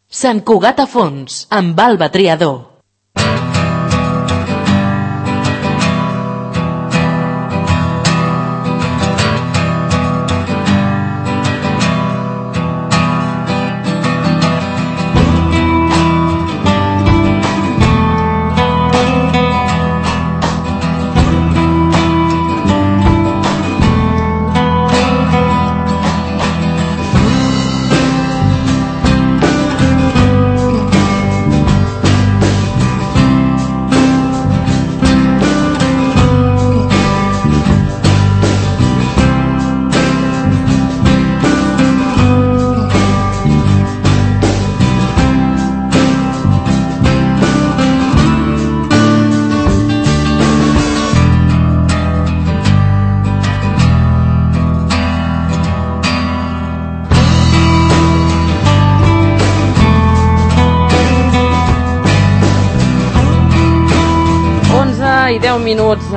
Sant Cugat a Fons, amb Alba Triador. I 10 minuts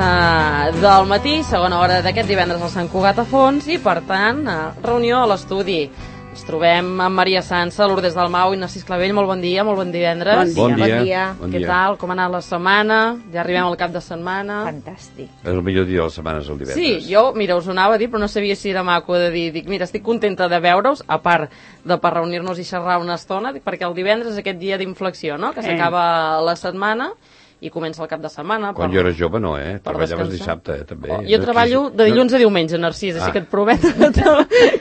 del matí, segona hora d'aquest divendres al Sant Cugat a Fons, i per tant, reunió a l'estudi. Ens trobem amb Maria Sansa, Lourdes Dalmau i Narcís Clavell. Molt bon dia, molt bon divendres. Bon dia. Què tal? Com ha anat la setmana? Ja arribem al cap de setmana. Fantàstic. És el millor dia de la setmana, és el divendres. Sí, jo, mira, us ho anava a dir, però no sabia si era maco de dir. Dic, mira, estic contenta de veure-us, a part de per reunir-nos i xerrar una estona, perquè el divendres és aquest dia d'inflexió, no?, que s'acaba la setmana i comença el cap de setmana. Quan jo era jove no, treballaves descansar. dissabte, també. Jo treballo de dilluns a diumenge, Narcís, així que et prometo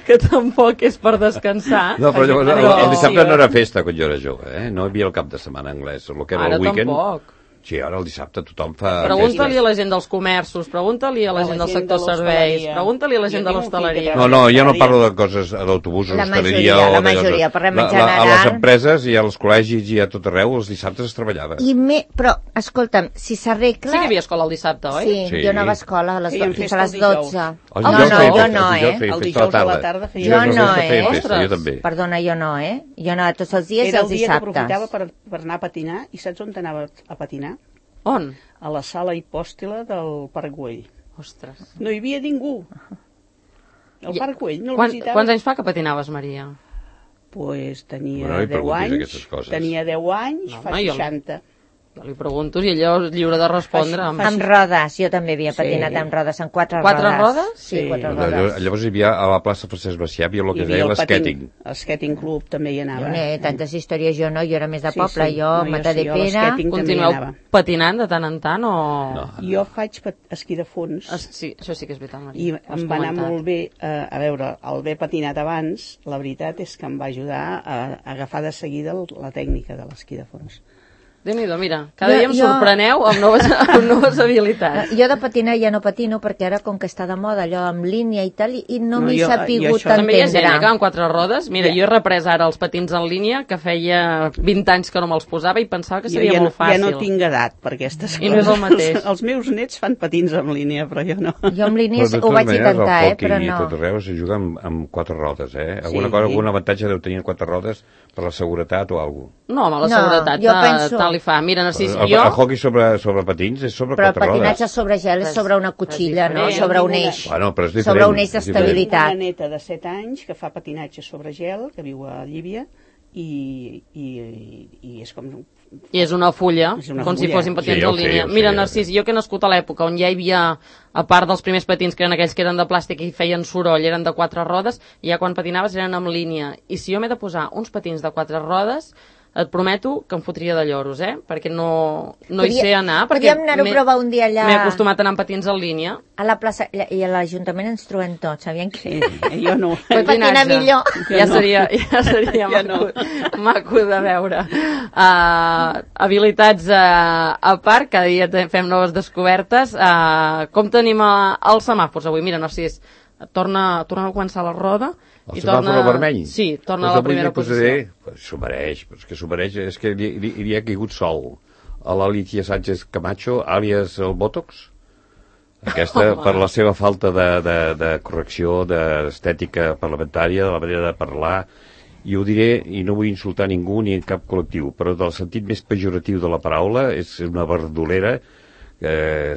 que tampoc és per descansar. No, però llavors el dissabte no era festa quan jo era jove, no hi havia el cap de setmana anglès, el que era el weekend. Ara tampoc. Sí, ara el dissabte tothom fa... Pregunta-li a la gent dels comerços, pregunta-li a la gent del sector serveis, pregunta-li a la gent de l'hostaleria. No, jo no parlo de coses d'autobusos, hostaleria... La majoria, parlem en general. A les empreses i als col·legis i a tot arreu, els dissabtes es treballava. Però, escolta'm, si s'arregla... Sí que hi havia escola el dissabte, oi? Sí, jo anava a escola fins a les 12. No, el dijous a la tarda. Jo no, Jo també. Perdona, jo no, Jo anava tots els dies i els dissabtes. Era el dia que aprofitava per anar a patinar, i saps on anava a patinar? On? A la sala hipòstila del Parc Güell. Ostres. No hi havia ningú. El Parc Güell no el visitava. Quants anys fa que patinaves, Maria? Pues tenia 10 anys. Tenia 10 anys, fa 60. Jo li pregunto si ella és lliure de respondre. Amb rodes, jo també havia patinat amb rodes, amb 4 rodes. 4 rodes? Sí, 4 rodes. Llavors hi havia a la plaça Francesc Macià, hi havia el que deia l'esquèting. L'esquèting club també hi anava. Tantes històries jo no, jo era més de poble, jo, Matadepera. Continueu patinant de tant en tant o...? Jo faig esquí de fons. Sí, això sí que és veritat, Maria. I em va anar molt bé, a veure, el haver patinat abans, la veritat és que em va ajudar a agafar de seguida la tècnica de l'esquí de fons. Déu-n'hi-do, mira, cada dia em sorpreneu amb noves habilitats. Jo de patinar ja no patino perquè ara com que està de moda allò amb línia i tal, i no m'he sapigut entendre. També hi ha gent que amb 4 rodes, mira, jo he reprès ara els patins en línia, que feia 20 anys que no me'ls posava i pensava que seria molt fàcil. Ja no tinc edat per aquestes coses. I no és el mateix. Els meus nets fan patins en línia, però jo no. Jo amb línia ho vaig intentar, però no. I tot arreu se juga amb 4 rodes, algun avantatge deu tenir 4 rodes per la seguretat o alguna cosa. No, home, la seguretat tal li fa. Mira, Narcís, el hockey sobre patins és sobre 4 rodes. Però el patinatge sobre gel és sobre una cotxilla, no? Sobre un eix. Però és diferent. Sobre un eix d'estabilitat. Tinc una neta de 7 anys que fa patinatge sobre gel, que viu a Llívia, i és com... I és una fulla, com si fossin patins en línia. Mira, Narcís, jo que he nascut a l'època on ja hi havia, a part dels primers patins que eren aquells que eren de plàstic i feien soroll, eren de 4 rodes, i ja quan patinaves eren en línia. I si jo m'he de posar uns patins de 4 rodes, et prometo que em fotria de lloros, perquè no hi sé anar. Podríem anar-ho a provar un dia allà... M'he acostumat a anar amb patins en línia. A la plaça, i a l'Ajuntament ens trobem tots, sabien que... Jo no. Patinar millor. Ja seria maco de veure. Habilitats a part, cada dia fem noves descobertes. Com tenim els semàfors avui? Mira, Narcís, torna a començar la roda. El semàfor vermell? Sí, torna a la primera posició. S'ho mereix, és que li ha caigut sol a l'Alicia Sánchez Camacho, àlies el Botox. Aquesta, per la seva falta de correcció, d'estètica parlamentària, de la manera de parlar, i ho diré, i no vull insultar ningú ni en cap col·lectiu, però del sentit més pejoratiu de la paraula, és una verdolera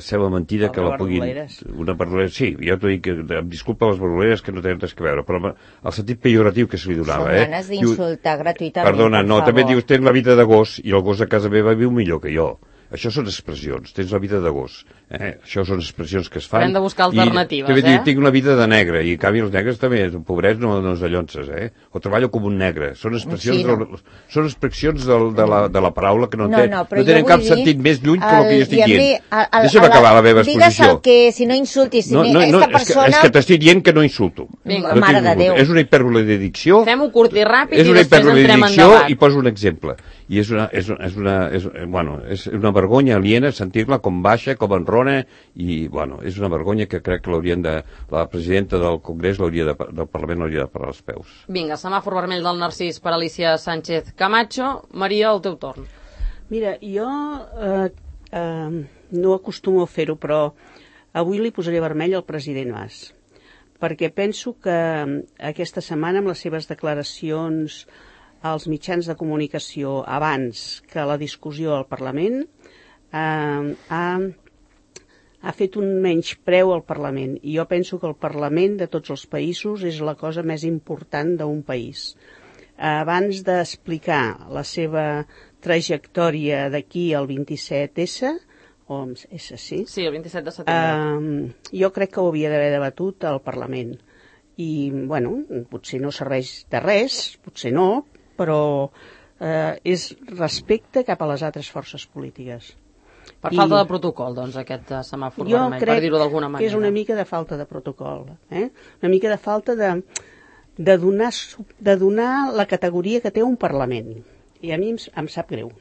sembla mentida que la puguin... Una verdolera, sí, jo t'ho dic, em disculpa les verdoleres que no tenen res que veure, però el sentit pejoratiu que se li donava, Són ganes d'insultar gratuïtament, perdona, no, també dius, tens la vida de gos, i el gos a casa meva viu millor que jo. Això són expressions, tens la vida de gos. Això són expressions que es fan. Hem de buscar alternatives, també diu, tinc una vida de negre, i en canvi els negres també, pobrets no es dallonses, o treballo com un negre. Són expressions, són expressions de la paraula que no tenen cap sentit més lluny que el que jo estic dient. Deixa'm acabar la meva exposició. Digues el que, si no insultis, esta persona... És que t'estic dient que no insulto. Mare de Déu. És una hipèrbole de dicció. Fem-ho curt i ràpid i després entrem en debat. I poso un exemple. I és una vergonya aliena sentir-la com baixa, com enrona, i, és una vergonya que crec que la presidenta del Congrés del Parlament l'hauria de parar els peus. Vinga, semàfor vermell del Narcís per Alicia Sánchez Camacho. Maria, el teu torn. Mira, jo no acostumo a fer-ho, però avui li posaré vermell al president Mas, perquè penso que aquesta setmana, amb les seves declaracions als mitjans de comunicació abans que la discussió al Parlament, ha fet un menyspreu al Parlament. I jo penso que el Parlament de tots els països és la cosa més important d'un país. Abans d'explicar la seva trajectòria d'aquí al 27S, o S, sí? Sí, el 27 de setembre. Jo crec que ho havia d'haver debatut al Parlament. I, potser no serveix de res, potser no, però és respecte cap a les altres forces polítiques. Per falta de protocol, doncs, aquest semàfor vermell, per dir-ho d'alguna manera. Jo crec que és una mica de falta de protocol, una mica de falta de donar la categoria que té un Parlament. I a mi em sap greu.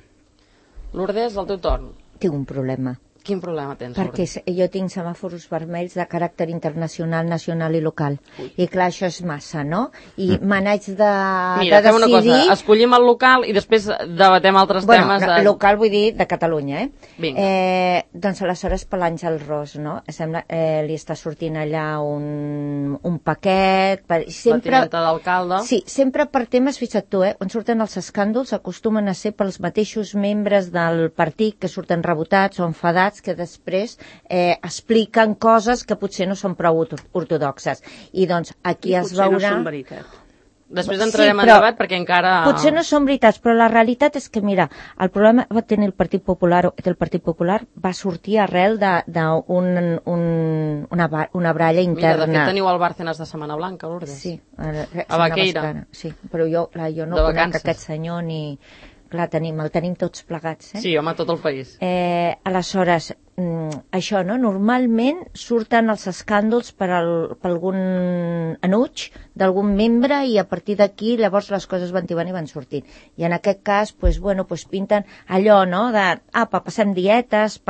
Lourdes, el teu torn. Tinc un problema. Quin problema tens, Perquè jo tinc semàfors vermells de caràcter internacional, nacional i local. I clar, això és massa, no? I me n'haig de Mira, fem una cosa, escollim el local i després debatem altres temes. Local vull dir de Catalunya, Vinga. Doncs aleshores per l'Àngel Ros, no? Sembla li està sortint allà un paquet... La tinenta d'alcalde. Sí, sempre per temes, fixa't tu, on surten els escàndols acostumen a ser pels mateixos membres del partit que surten rebotats o enfadats, que després expliquen coses que potser no són prou ortodoxes. I doncs aquí es veurà... Potser no són veritat. Després entrarem en debat perquè encara... Potser no són veritats, però la realitat és que, mira, el problema va tenir el Partit Popular, va sortir arrel d'una baralla interna. Mira, de fet teniu el Bárcenas de Setmana Blanca, Lourdes. Sí, a Baqueira. Sí, però jo no conec aquest senyor ni... Clar, el tenim tots plegats, Sí, home, tot el país. Aleshores, això, no? Normalment surten els escàndols per algun enuig d'algun membre i a partir d'aquí llavors les coses van tibant i van sortint. I en aquest cas, pinten allò, no?, passem dietes,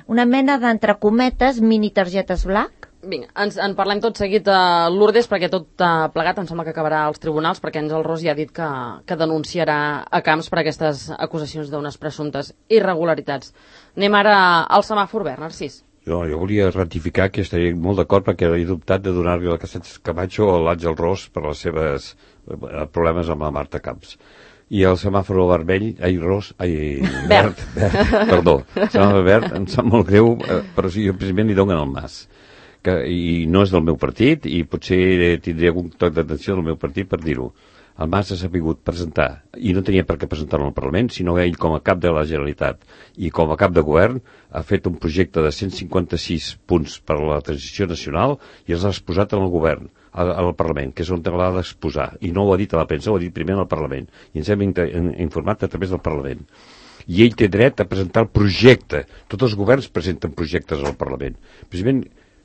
una mena d'entre cometes mini targetes black. Vinga, en parlem tot seguit a Lourdes, perquè tot plegat em sembla que acabarà als tribunals, perquè Àngel Ros ja ha dit que denunciarà a Camps per aquestes acusacions d'unes presumptes irregularitats. Anem ara al semàfor verd, Narcís. Jo volia ratificar que estaria molt d'acord perquè he dubtat de donar-li la Sánchez Camacho o l'Àngel Ros per les seves problemes amb la Marta Camps. I el semàfor vermell, verd, perdó, el semàfor verd em sap molt greu, però si jo precisament li donen el Mas. I no és del meu partit i potser tindria algun toc d'atenció del meu partit per dir-ho. El Mas ha sabut presentar, i no tenia per què presentar-lo al Parlament, sinó ell com a cap de la Generalitat i com a cap de govern ha fet un projecte de 156 punts per a la transició nacional i els ha exposat al govern, al Parlament, que és on l'ha d'exposar. I no ho ha dit a la premsa, ho ha dit primer al Parlament. I ens hem informat a través del Parlament. I ell té dret a presentar el projecte. Tots els governs presenten projectes al Parlament. Precisament,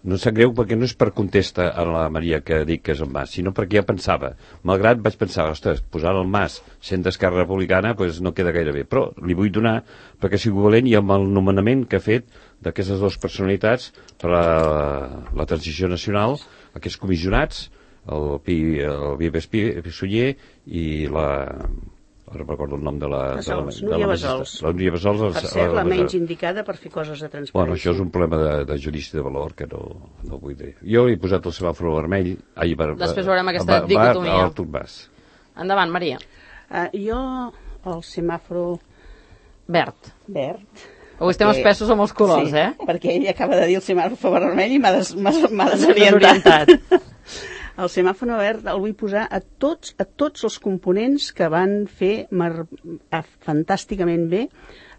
no em sap greu perquè no és per contesta a la Maria que dic que és el Mas, sinó perquè ja pensava. Malgrat vaig pensar, ostres, posar el Mas sent d'Esquerra Republicana no queda gaire bé, però li vull donar perquè sigui valent i amb el nomenament que ha fet d'aquestes dues personalitats per a la transició nacional, aquests comissionats, el Vives Sunyer i ara recordo el nom de la... Núria Bassols. La Núria Bassols. Per ser la menys indicada per fer coses de transparència. Bueno, això és un problema de judici de valor que no vull dir. Jo he posat el semàfor vermell... Després veurem aquesta dicotomia. Endavant, Maria. Jo, el semàfor... Verd. Avui estem espessos amb els colors, sí, perquè ell acaba de dir el semàfor vermell i m'ha desorientat. El semàfor verd el vull posar a tots els components que van fer fantàsticament bé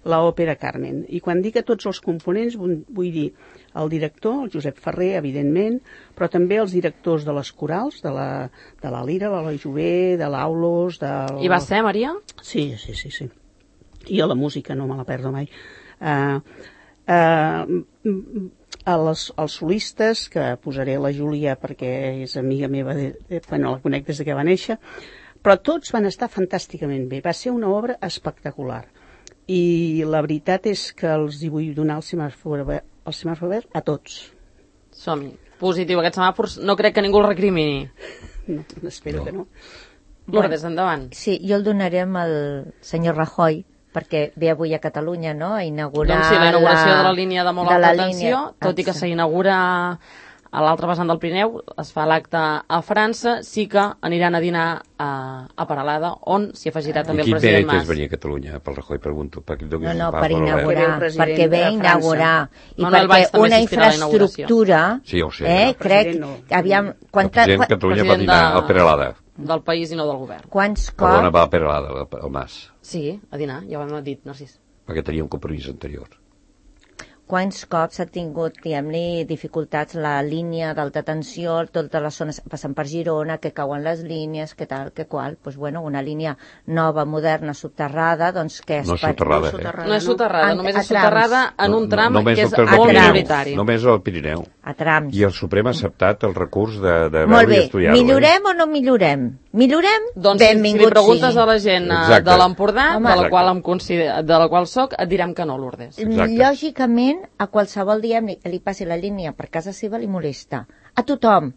l'òpera Carmen. I quan dic a tots els components vull dir el director, el Josep Ferrer, evidentment, però també els directors de les corals, de la Lira, l'Eloi Jové, de l'Aulos... I va ser, Maria? Sí. I a la música no me la perdo mai. Els solistes, que posaré la Júlia perquè és amiga meva, bueno, la conec des que va néixer, però tots van estar fantàsticament bé. Va ser una obra espectacular. I la veritat és que els hi vull donar el semàfor verd a tots. Som-hi. Positiu. Aquest semàfor no crec que ningú el recrimini. No, espero que no. Lourdes, endavant. Sí, jo el donaré amb el senyor Rajoy, perquè ve avui a Catalunya, no?, a inaugurar... Doncs sí, la inauguració de la línia de molt alta tensió, tot i que s'inaugura a l'altre vessant del Pirineu, es fa l'acte a França, sí que aniran a dinar a Peralada, on s'hi afegirà també el president Mas. I quin mèrit és venir a Catalunya, pel Rajoy, pregunto? No, per inaugurar, perquè ve a inaugurar, i perquè una infraestructura... Sí, ho sé. Crec, aviam... El president de Catalunya va dinar a Peralada. Del país i no del govern. Quants cops... Perdona, va a Peralada, el Mas. Sí, a dinar, ja ho hem dit, Narcís. Perquè tenia un compromís anterior. Quants cops ha tingut, diguem-li, dificultats la línia d'alta tensió, totes les zones passant per Girona, que cauen les línies, que tal, que qual. Doncs, bueno, una línia nova, moderna, soterrada, doncs que... No és soterrada, No és soterrada, només és soterrada en un tram que és molt minoritari. Només al Pirineu. A trams. I el Suprem ha acceptat el recurs de veure i estudiar-lo. Molt bé, millorem o no millorem? Millorem? Doncs si li preguntes a la gent de l'Empordà, de la qual soc, et direm que no, Lourdes. Lògicament, a qualsevol dia li passi la línia per casa seva li molesta. A tothom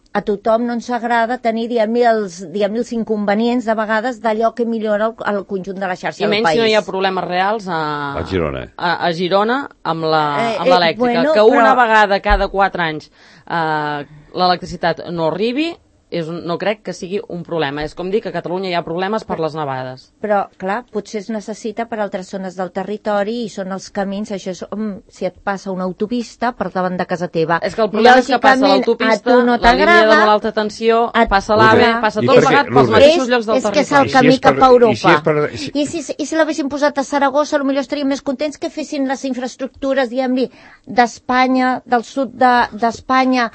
no ens agrada tenir, diguem-li, els inconvenients de vegades d'allò que millora el conjunt de la xarxa del país. I menys si no hi ha problemes reals a Girona amb l'elèctrica. Que una vegada cada 4 anys l'electricitat no arribi, no crec que sigui un problema. És com dir que a Catalunya hi ha problemes per les nevades. Però, clar, potser es necessita per altres zones del territori i són els camins, això és si et passa una autopista per davant de casa teva. És que el problema és que passa l'autopista, la línia de molt alta tensió, passa l'AVE, passa tot plegat pels mateixos llocs del territori. És que és el camí cap a Europa. I si l'haguessin posat a Saragossa, potser estaríem més contents que fessin les infraestructures, diguem-li, d'Espanya, del sud d'Espanya,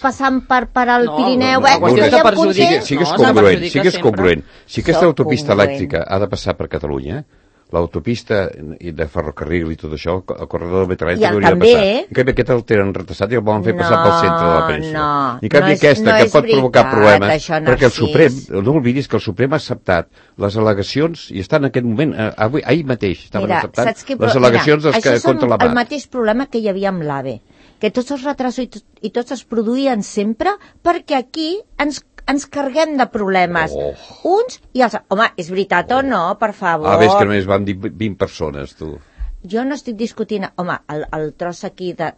passant per al Pirineu, Sigues congruent. Si aquesta autopista elèctrica ha de passar per Catalunya, l'autopista de ferrocarril i tot això, el corredor de metrallet hauria de passar. En canvi, aquest el tenen retrasat i el volen fer passar pel centre de la península. I en canvi aquesta, que pot provocar problemes, perquè el Suprem, no oblidis que el Suprem ha acceptat les al·legacions, i està en aquest moment, ahir mateix, estaven acceptant les al·legacions contra la Això és el mateix problema que hi havia amb l'AVE, que tots els retrasos i tots es produïen sempre perquè aquí ens carreguem de problemes. Uns i els... Home, és veritat o no, per favor? Ves que només van dir 20 persones, tu. Jo no estic discutint... Home, el tros aquí de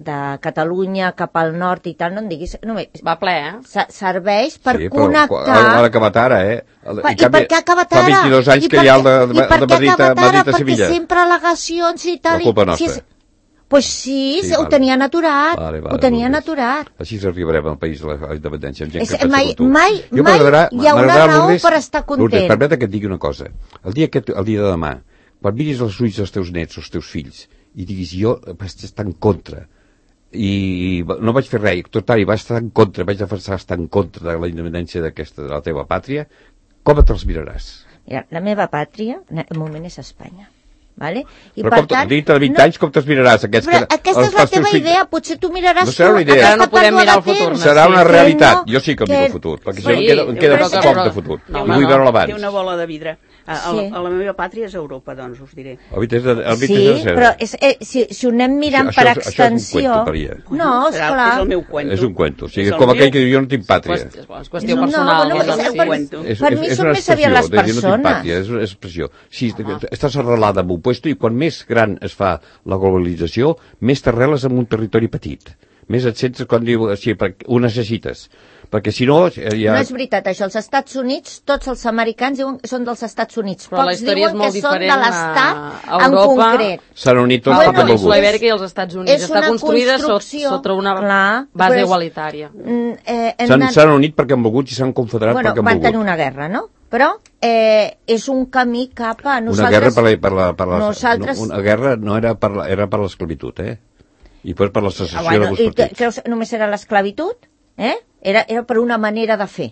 Catalunya cap al nord i tal, no em diguis... Només, va ple, serveix per connectar... Ha acabat ara, I per què ha acabat ara? Fa 22 anys que hi ha el de Madrid a Sevilla. Perquè sempre al·legacions i tal... La culpa nostra. Pues sí, ho tenien aturat. Ho tenien aturat. Així arribarem al país de la independència. Mai hi haurà raó per estar content. Lourdes, permeta que et digui una cosa. El dia de demà, quan miris els ulls dels teus nets o els teus fills i diguis jo vaig estar en contra i no vaig fer res, total, vaig estar en contra, vaig estar en contra de la independència de la teva pàtria, com te'ls miraràs? Mira, la meva pàtria, de moment, és Espanya. Vale? I però dintre de 20 anys com te'ls miraràs? Però aquesta és la teva idea, potser tu miraràs no serà una idea. No podem mirar el futur. Serà una realitat. Jo sí que el miro el futur, perquè em queda poc de futur. I vull veure l'abans. Té una bola de vidre. A la meva pàtria és Europa, doncs, us diré. Sí, però si ho anem mirant per extensió... No, esclar. És el meu cuento. És un cuento. O sigui, com aquell que diu jo no tinc pàtria. És qüestió personal. Per mi són més aviat les persones. És una expressió. Si estàs arrelada en un puesto i quan més gran es fa la globalització, més t'arreles en un territori petit. Més et sents quan diu, sí, ho necessites. perquè si no... No és veritat, això. Els Estats Units, tots els americans diuen que són dels Estats Units. Però pocs diuen que són de l'Estat en concret. S'han unit tots perquè han volgut. La Ibèrica i els Estats Units està construïda sota una base igualitària. S'han unit perquè han volgut i s'han confederat perquè han volgut. Van tenir una guerra, no? Però és un camí cap a nosaltres... Una guerra no era per l'esclavitud, i després per la secessió de els partits. Creus que només era l'esclavitud? Era per una manera de fer,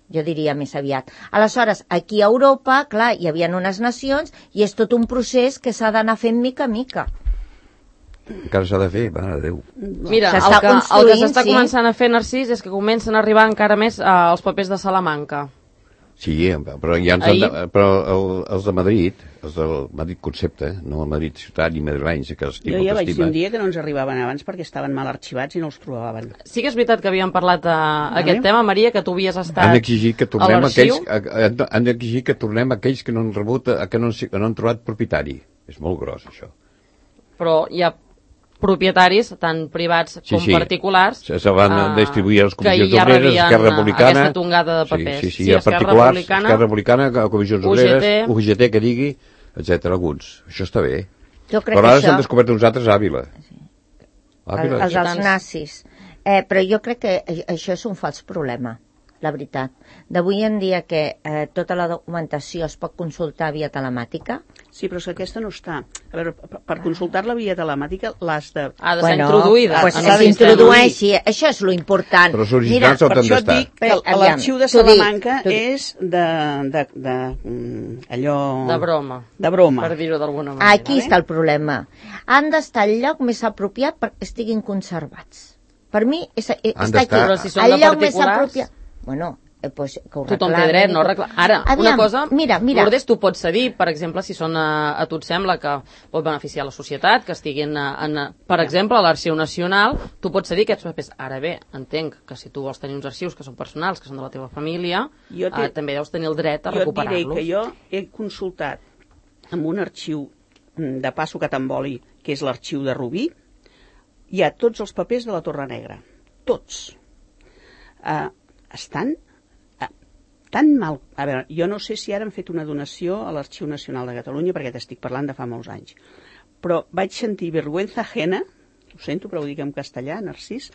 jo diria més aviat. Aleshores, aquí a Europa, clar, hi havia unes nacions i és tot un procés que s'ha d'anar fent mica a mica. Encara s'ha de fer, mare de Déu. Mira, el que s'està començant a fer, Narcís, és que comencen a arribar encara més els papers de Salamanca. Sí, però els de Madrid, els del Madrid Concepte, no el Madrid Ciutat ni madrilenys, que els tinc jo ja vaig dir un dia que no ens arribaven abans perquè estaven mal arxivats i no els trobaven. Sí que és veritat que havíem parlat aquest tema, Maria, que tu havies estat han d'exigir que tornem aquells que no han rebut, que no han trobat propietari. És molt gros, això. Però hi ha propietaris, tant privats com particulars, se van distribuir a les comissions obreres, Esquerra Republicana, aquesta tongada de papers. Sí, particulars, Esquerra Republicana, comissions obreres, UGT, que digui, etc. alguns. Això està bé. Però ara s'han descobert uns altres a Àvila. Els nazis. Però jo crec que això és un fals problema, la veritat. D'avui en dia que tota la documentació es pot consultar via telemàtica. Sí, però és que aquesta no està. A veure, per consultar-la via telemàtica l'has de... Ha de ser introduïda. Pues s'introdueixi, això és lo important. Però els originals on han d'estar. Per això dic que l'arxiu de Salamanca és allò... De broma. De broma. Per dir-ho d'alguna manera. Aquí està el problema. Han d'estar al lloc més apropiat perquè estiguin conservats. Per mi, està aquí. Però si són de particulars... Bueno, pues, que ho tothom té dret, no? Ara, una cosa, mira. Lourdes, tu pots cedir, per exemple, si són a tu et sembla que pot beneficiar la societat, que estiguin, per exemple, a l'Arxiu Nacional, tu pots cedir aquests papers. Ara bé, entenc que si tu vols tenir uns arxius que són personals, que són de la teva família, també deus tenir el dret a recuperar-los. Jo et diré que jo he consultat amb un arxiu de Passo Catamboli, que és l'arxiu de Rubí, hi ha tots els papers de la Torre Negra. Tots. Estan tan mal... A veure, jo no sé si ara han fet una donació a l'Arxiu Nacional de Catalunya, perquè t'estic parlant de fa molts anys, però vaig sentir vergüenza ajena, ho sento, però ho dic en castellà, Narcís,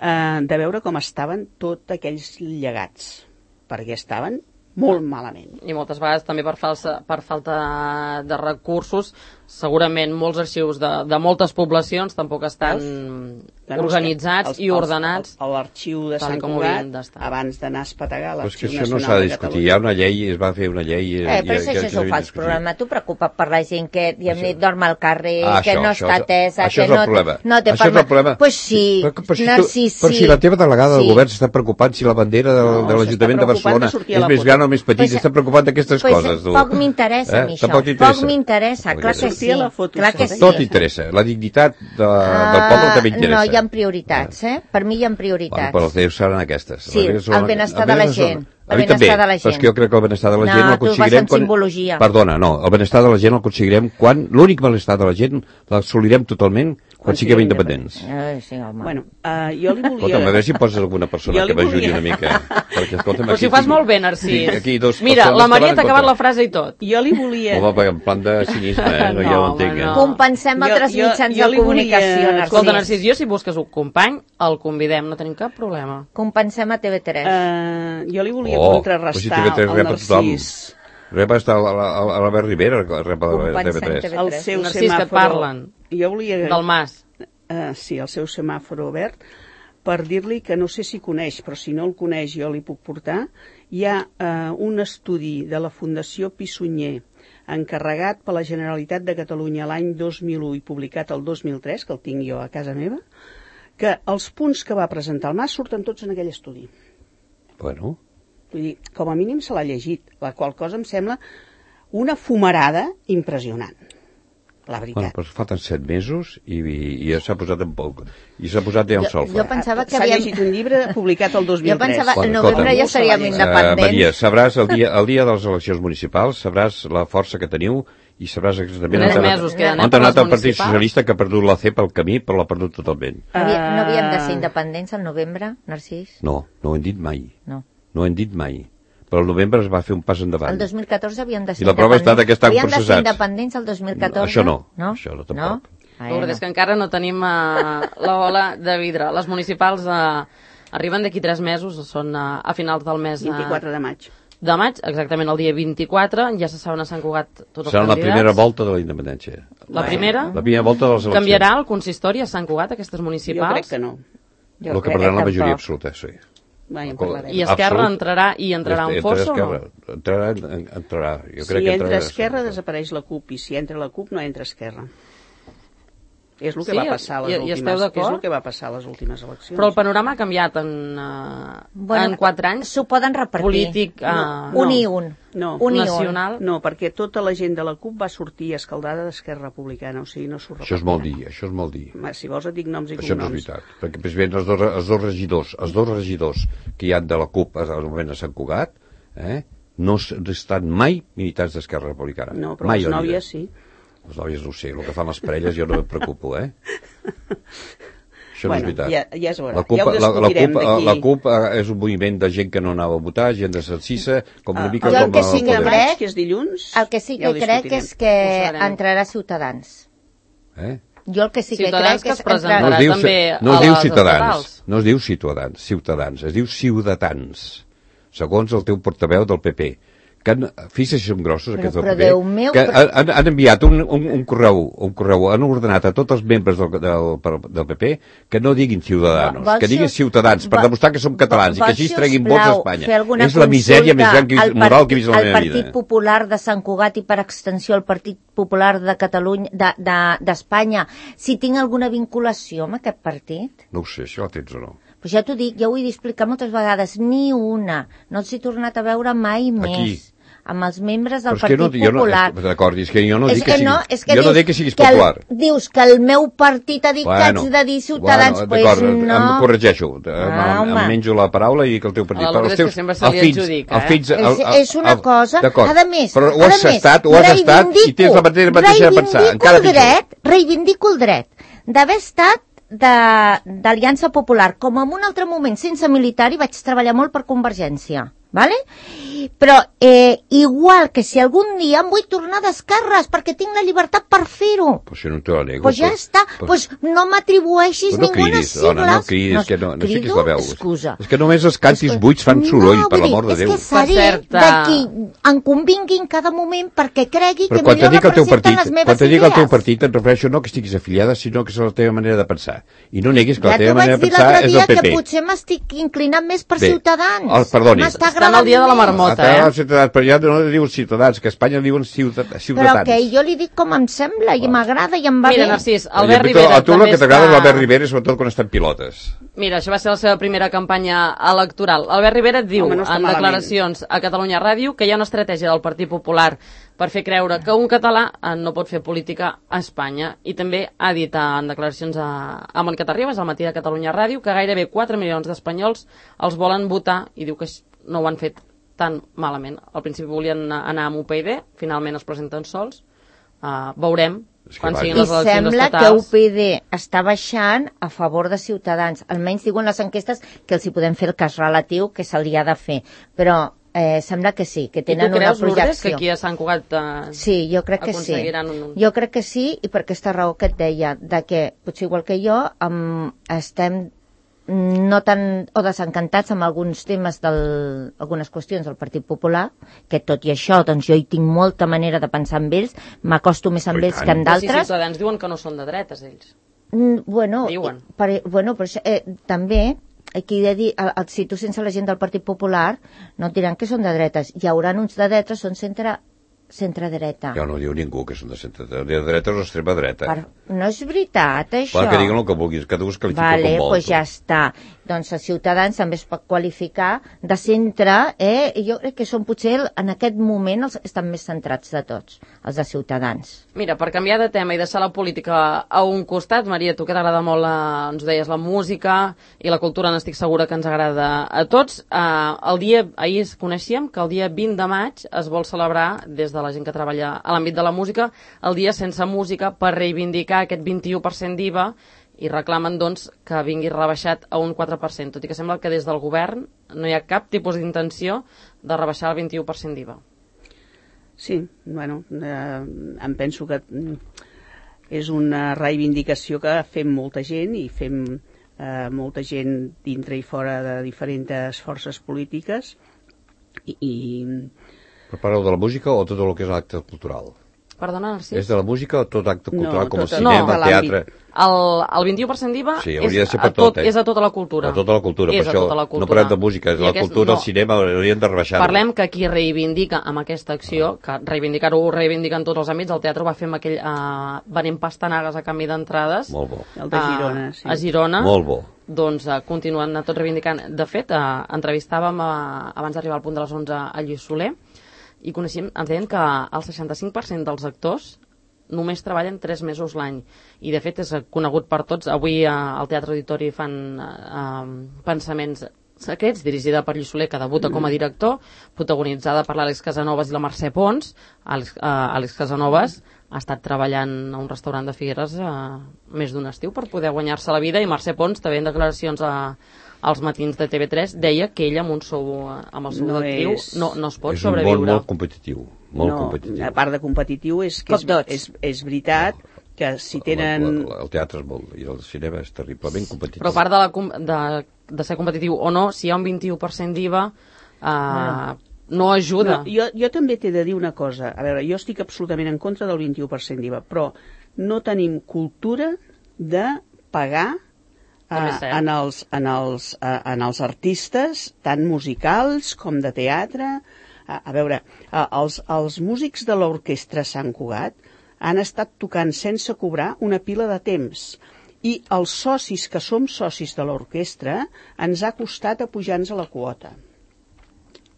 de veure com estaven tots aquells llegats, perquè estaven molt malament. I moltes vegades també per falta de recursos, segurament molts arxius de moltes poblacions tampoc estan organitzats i ordenats. L'arxiu de Sant Cugat, abans d'anar a espetegar l'Arxiu Nacional de Catalunya. Això no s'ha de discutir, hi ha una llei, es va fer una llei... Però això és un fals problema, tu preocupa't per la gent que dorm al carrer, que no està atesa, que no té permès. Pues sí, Narcís, sí. Però si la teva delegada del govern s'està preocupant si la bandera de l'Ajuntament de Barcelona és més gran o més petit, s'està preocupant d'aquestes coses. Poc m'interessa a mi això, poc m'interessa, clar que sí. Tot interessa, la dignitat del poble també interessa. No, hi ha prioritats, per mi hi ha prioritats. Però els déus seran aquestes. Sí, el benestar de la gent. A mi també, però és que jo crec que el benestar de la gent l'aconseguirem quan... Perdona, no, el benestar de la gent l'aconseguirem quan... L'únic benestar de la gent l'assolirem totalment quan siguem independents. Sí, home. Bueno, jo li volia... Escolta'm, a veure si poses alguna persona que m'ajudi una mica. Però si ho fas molt bé, Narcís. Mira, la Maria t'ha acabat la frase i tot. Jo li volia... Home, en plan de cinisme, no, ja ho entenc. Compensem altres mitjans de comunicació, Narcís. Escolta, Narcís, jo si busques un company, el convidem, no tenim cap problema. Compensem a TV3. Jo li volia contrarrestar el Narcís. Rep està a l'Albert Rivera, rep a TV3. El seu Narcís, que et parlen. Jo volia... Del Mas. Sí, el seu semàforo verd, per dir-li que no sé si coneix, però si no el coneix jo li puc portar. Hi ha un estudi de la Fundació Pissunyer encarregat per la Generalitat de Catalunya l'any 2001 i publicat el 2003, que el tinc jo a casa meva, que els punts que va presentar el Mas surten tots en aquell estudi. Bueno... Vull dir, com a mínim se l'ha llegit, la qual cosa em sembla una fumarada impressionant, la veritat. Bueno, però falten 7 mesos i ja s'ha posat en poc, i s'ha posat ja el sol. Jo pensava que s'ha llegit un llibre publicat el 2003. Jo pensava que al novembre ja seríem independents. Maria, sabràs el dia de les eleccions municipals, sabràs la força que teniu i sabràs exactament on ha anat el Partit Socialista, que ha perdut la C pel camí, però l'ha perdut totalment. No havíem de ser independents al novembre, Narcís? No ho hem dit mai. No ho hem dit mai. Però el novembre es va fer un pas endavant. El 2014 havíem de ser independents. I la prova ha estat que estan processats. Havíem de ser independents el 2014? Això no. Això no, tampoc. És que encara no tenim l'ola de vidre. Les municipals arriben d'aquí 3 mesos, són a finals del mes... 24 de maig. De maig, exactament el dia 24, ja se saben a Sant Cugat tots els candidats. Serà la primera volta de la independència. La primera? La primera volta de les eleccions. Canviarà el consistori a Sant Cugat, aquestes municipals? Jo crec que no. El que perdrà la majoria absoluta, sí. I Esquerra entrarà un fosso o no? Entrarà. Si entra Esquerra desapareix la CUP, i si entra la CUP no entra Esquerra. És el que va passar a les últimes eleccions. Però el panorama ha canviat en 4 anys. S'ho poden repartir. Polític un i un. Nacional. No, perquè tota la gent de la CUP va sortir escaldada d'Esquerra Republicana, o sigui, no s'ho repartirà. Això és molt dir. Si vols et dic noms i cognoms. Això no és veritat, perquè precisament els dos regidors que hi ha de la CUP al moment a Sant Cugat, no estan mai militants d'Esquerra Republicana. No, però les nòvies sí. Les nòvies no ho sé, el que fan les parelles jo no em preocupo, Això no és veritat. Ja es veurà, ja ho discutirem d'aquí. La CUP és un moviment de gent que no anava a votar, gent de Sancisa, com una mica com el que sí que crec, que és dilluns, el que sí que crec és que entrarà Ciutadans. Jo el que sí que crec és que entrarà també no es diu Ciutadans, no es diu Ciutadans, es diu Ciutadans, segons el teu portaveu del PP. Fixa't si som grossos aquests del PP, que han enviat un correu, han ordenat a tots els membres del PP que no diguin Ciutadanos, que diguin Ciutadans, per demostrar que som catalans i que així es treguin vots a Espanya. És la misèria més gran moral que he vist a la meva vida. El Partit Popular de Sant Cugat i per extensió el Partit Popular de Catalunya, d'Espanya, si tinc alguna vinculació amb aquest partit? No ho sé, això ho tens o no. Pues ja t'ho dic, ja ho he d'explicar moltes vegades, ni una. No els he tornat a veure mai més. Amb els membres del Partit Popular. D'acord, és que jo no dic que siguis popular. Dius que el meu partit ha dit que haig de dir Ciutadans, pues no. Em corregeixo, em menjo la paraula i dic el teu partit. Però és que sempre se li adjudica, És una cosa, a més, però ho has estat i tens la mateixa de pensar. Reivindico el dret d'haver estat d'Aliança Popular, com en un altre moment sense militar, i vaig treballar molt per Convergència, vale? Però igual que si algun dia em vull tornar d'esquerres perquè tinc la llibertat per fer-ho, pues si no te la nego, pues ja està, pues no m'atribueixis ninguna sigla. No cridis, que no sé qui és la veu. Excusa. És que només els cantis buits fan soroll, per l'amor de Déu. És que seré de qui em convingui en cada moment perquè cregui que millor representen les meves idees. Quan te dic el teu partit, et refereixo no que estiguis afiliada, sinó que és la teva manera de pensar. I no neguis que la teva manera de pensar és el PP. Ja t'ho vaig dir l'altre dia, que potser m'estic inclinant més per Ciutadans. Perdoni. Estan al dia de la marmota, però ja no diuen Ciutadans, que a Espanya diuen Ciutadans. Però que jo li dic com em sembla i m'agrada i em va bé. Mira, Narcís, Albert Rivera... A tu el que t'agrada és l'Albert Rivera, sobretot quan estan pilotes. Mira, això va ser la seva primera campanya electoral. Albert Rivera diu en declaracions a Catalunya Ràdio que hi ha una estratègia del Partit Popular per fer creure que un català no pot fer política a Espanya. I també ha dit en declaracions a Mònica Terribas, al matí de Catalunya Ràdio, que gairebé 4 milions d'espanyols els volen votar i diu que no ho han fet tan malament. Al principi volien anar amb UPyD, finalment es presenten sols. Veurem quan siguin les eleccions estatals. I sembla que UPyD està baixant a favor de Ciutadans. Almenys diuen les enquestes que els hi podem fer el cas relatiu que se li ha de fer. Però sembla que sí, que tenen una projecció. I tu creus, Lourdes, que aquí a Sant Cugat sí, jo crec que sí. Jo crec que sí, i per aquesta raó que et deia, de que, potser igual que jo, estem no tan o desencantats amb alguns temes algunes qüestions del Partit Popular, que tot i això doncs jo hi tinc molta manera de pensar amb ells, m'acosto més amb ells que amb d'altres. Si Ciutadans diuen que no són de dretes, ells. Bueno, diuen. També aquí he de dir, si tu sense la gent del Partit Popular no et diran que són de dretes, hi haurà uns de dretes, són centre-dreta. Ja no diu ningú que són de centre-dreta. De dreta o extrema dreta. No és veritat, això. Clar, que diguin el que vulguis, que tu es qualifica com vol. Pues ja està. doncs a Ciutadans també es pot qualificar de centre, jo crec que són potser en aquest moment els estan més centrats de tots, els de Ciutadans. Mira, per canviar de tema i deixar la política a un costat, Maria, tu que t'agrada molt, ens deies, la música i la cultura, n'estic segura que ens agrada a tots. Ahir coneixíem que el dia 20 de maig es vol celebrar, des de la gent que treballa a l'àmbit de la música, el dia sense música per reivindicar aquest 21% d'IVA i reclamen, doncs, que vingui rebaixat a un 4%, tot i que sembla que des del govern no hi ha cap tipus d'intenció de rebaixar el 21% d'IVA. Sí, bueno, em penso que és una reivindicació que fem molta gent i fem molta gent dintre i fora de diferents forces polítiques Però parleu de la música o tot el que és l'acte cultural? Perdona, Narcís? És de la música o tot acte cultural, com el cinema, el teatre? El 21% d'IVA és a tota la cultura. A tota la cultura, per això no parlem de música, és la cultura, el cinema, haurien de rebaixar-ho. Parlem que qui reivindica amb aquesta acció, que reivindicar-ho ho reivindiquen tots els àmbits, el teatre ho va fer amb aquell venent pastanagues a canvi d'entrades. Molt bo. El de Girona, sí. A Girona. Molt bo. Doncs continuen tots reivindicant. De fet, entrevistàvem abans d'arribar al punt de les 11 a Lluís Soler, i coneixíem, ens deien que el 65% dels actors només treballen 3 mesos l'any. I, de fet, és conegut per tots. Avui al Teatre Auditori fan Pensaments secrets, dirigida per Lluís Soler, que debuta com a director, protagonitzada per l'Àlex Casanovas i la Mercè Pons. Àlex Casanovas ha estat treballant a un restaurant de Figueres més d'un estiu per poder guanyar-se la vida, i Mercè Pons, també en declaracions als matins de TV3, deia que ell amb el sou d'actriu no es pot sobreviure. És un món molt competitiu. Competitiu. A part de competitiu, és veritat que si tenen... El teatre és molt... i el cinema és terriblement competitiu. Però a part de ser competitiu o no, si hi ha un 21% d'IVA, no ajuda. Jo també t'he de dir una cosa. A veure, jo estic absolutament en contra del 21% d'IVA, però no tenim cultura de pagar en els artistes, tant musicals com de teatre. A veure, els músics de l'orquestra Sant Cugat han estat tocant sense cobrar una pila de temps, i els socis que som socis de l'orquestra ens ha costat apujar-nos a la quota.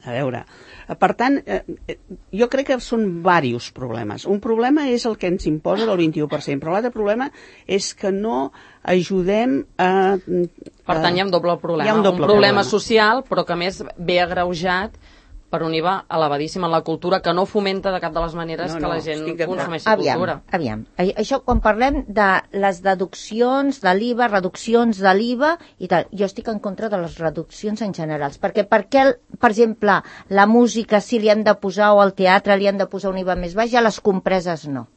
A veure, per tant, jo crec que són diversos problemes. Un problema és el que ens imposa del 21%, però l'altre problema és que no ajudem a... Per tant, hi ha un doble problema. Un problema social, però que més ve agreujat per un IVA elevadíssim en la cultura, que no fomenta de cap de les maneres que la gent consumeixi cultura. Aviam. Això, quan parlem de les deduccions de l'IVA, reduccions de l'IVA i tal, jo estic en contra de les reduccions en generals, perquè per exemple, la música sí li hem de posar, o al teatre li hem de posar un IVA més baix, i a les compreses no.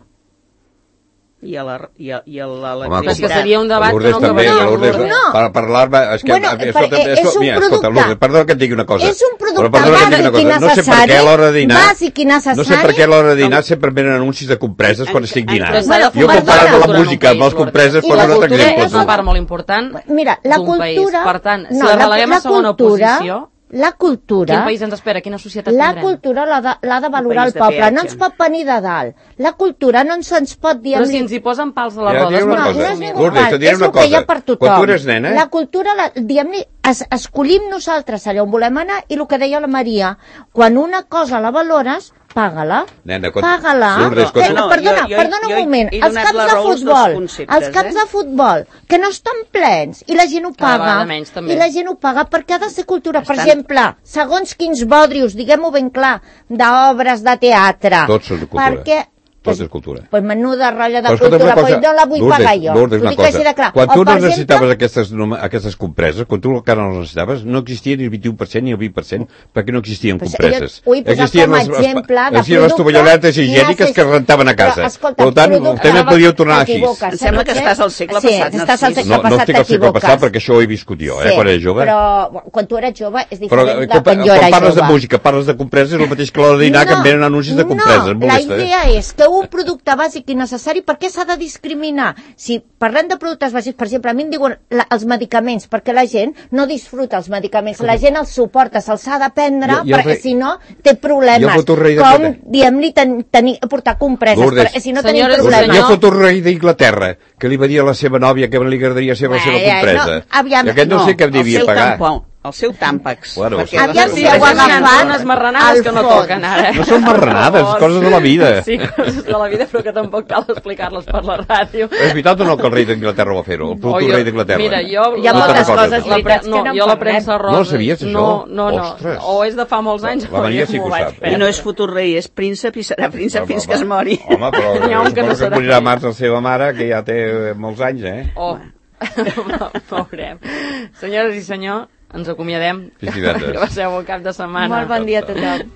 I a l'electricitat. Home, que seria un debat que no acabaria. Per parlar-me... És un producte... Perdona que et digui una cosa. És un producte bàsic i necessari. Bàsic i necessari. No sé per què a l'hora de dinar sempre venen anuncis de compreses quan estic dinant. Jo comparant la música amb les compreses poso un altre exemple. La cultura és una part molt important d'un país. Per tant, si la releguem a segona posició... La cultura... Quin país ens espera? Quina societat tindrem? La cultura l'ha de valorar el poble, no ens pot venir de dalt. La cultura no ens pot dir... Però si ens hi posen pals a les rodes... No és ningú pal, és el que hi ha per tothom. Quan tu eres nena... La cultura, diguem-ne, escollim nosaltres allà on volem anar, i el que deia la Maria, quan una cosa la valores, paga-la. Paga-la. Perdona un moment. Els camps de futbol, que no estan plens, i la gent ho paga. I la gent ho paga perquè ha de ser cultura. Per exemple, segons quins bodrius, diguem-ho ben clar, d'obres de teatre. Tots són de cultura. Perquè tot és cultura. Pues menuda ratlla de cultura, però no la vull pagar jo. Lourdes, una cosa. Quan tu no necessitaves aquestes compreses, quan tu encara no les necessitaves, no existia ni el 21% ni el 20%, perquè no existien compreses. Existien les tovalloletes higièniques que es rentaven a casa. Per tant, també podíeu tornar així. Em sembla que estàs al segle passat. No estic al segle passat perquè això ho he viscut jo, quan era jove. Però quan tu eres jove és diferent de quan jo era jove. Quan parles de música, parles de compreses, és el mateix que l'hora de dinar, que em venen anuncis de compreses. No, la idea és que un producte bàsic i necessari, per què s'ha de discriminar? Si parlem de productes bàsics, per exemple, a mi em diuen els medicaments, perquè la gent no disfruta els medicaments, la gent els suporta, se'ls ha de prendre, perquè si no té problemes. Com, diem-li, portar compreses, perquè si no tenim problemes. Jo foto un rei d'Inglaterra, que li va dir a la seva nòvia que li agradaria ser la seva compresa. I aquest no sé què devia pagar. El seu tàmpax. Bueno, aviam si ho agafat unes marranades que no toquen ara. No són marranades, coses de la vida. Sí, coses de la vida, però que tampoc cal explicar-les per la ràdio. És veritat o no que el rei d'Inglaterra va fer-ho? El producte rei d'Inglaterra. Mira, jo... Hi ha moltes coses veritats que no jo la premsa rosa... No sabies, això? No. O és de fa molts anys o és m'ho vaig perdre. I no és futur rei, és príncep i serà príncep fins que es mori. Home, però suposo que morirà març la seva mare, que ja té molts anys, Oh, veurem. Senyores i senyors, ens acomiadem. Fins divendres. Que passeu un cap de setmana. Molt bon dia a tothom.